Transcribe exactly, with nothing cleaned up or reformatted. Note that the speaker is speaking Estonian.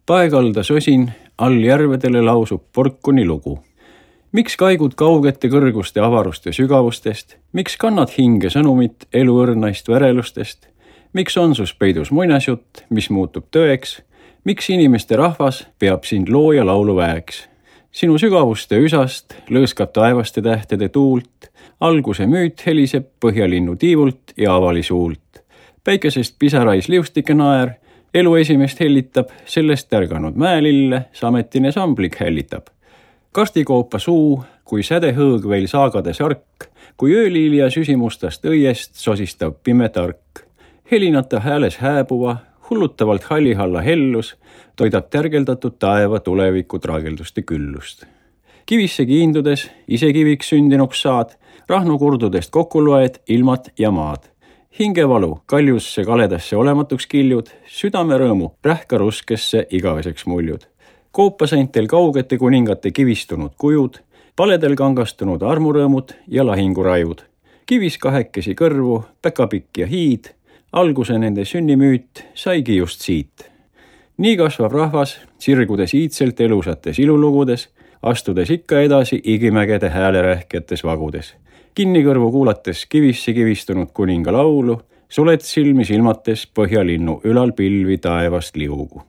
Paekalda sosin, all järvedele lausub porkuni lugu. Miks kaigud kaugete kõrguste avaruste sügavustest? Miks kannad hinge sõnumit eluõrnaist värelustest? Miks on sus peidus muinasjutt, mis muutub tõeks? Miks inimeste rahvas peab sind looja laulu väeks? Sinu sügavuste üsast lõõskab taevaste tähtede tuult, alguse müüt heliseb põhjalinnu tiivult ja avali suult. Päikesest pisarais liustike naer, elu esimest hellitab, sellest ärganud mäelille sametine samblik hällitab. Kastikoopa suu, kui sädehõõg veel saagades ark, kui ööliilja süsimustast õiest sosistav pime tark. Helinata hääles hääbuva, hullutavalt hallihalla hellus, toidab tärgeldatud taeva tuleviku traagelduste küllust. Kivisse kiindudes, ise kiviks sündinuks saad, rahnu kurdudest kokku loed ilmat ja maad. Hingevalu kaljusse kaledasse olematuks kiljud, südame rõõmu rähka ruskesse igaveseks muljud. Koopaseintel kaugete kuningate kivistunud kujud, paledel kangastunud armurõõmud ja lahingurajud. Kivis kahekesi kõrvu, päkapikk ja hiid, alguse nende sünnimüüt saigi just siit. Nii kasvab rahvas, sirgudes iidselt elusates ilulugudes, astudes ikka edasi igimägede häälerähketes vagudes. Kinni kõrvu kuulates kivisse kivistunud kuninga laulu, suled silmi silmates põhjalinnu ülal pilvi taevast liugu.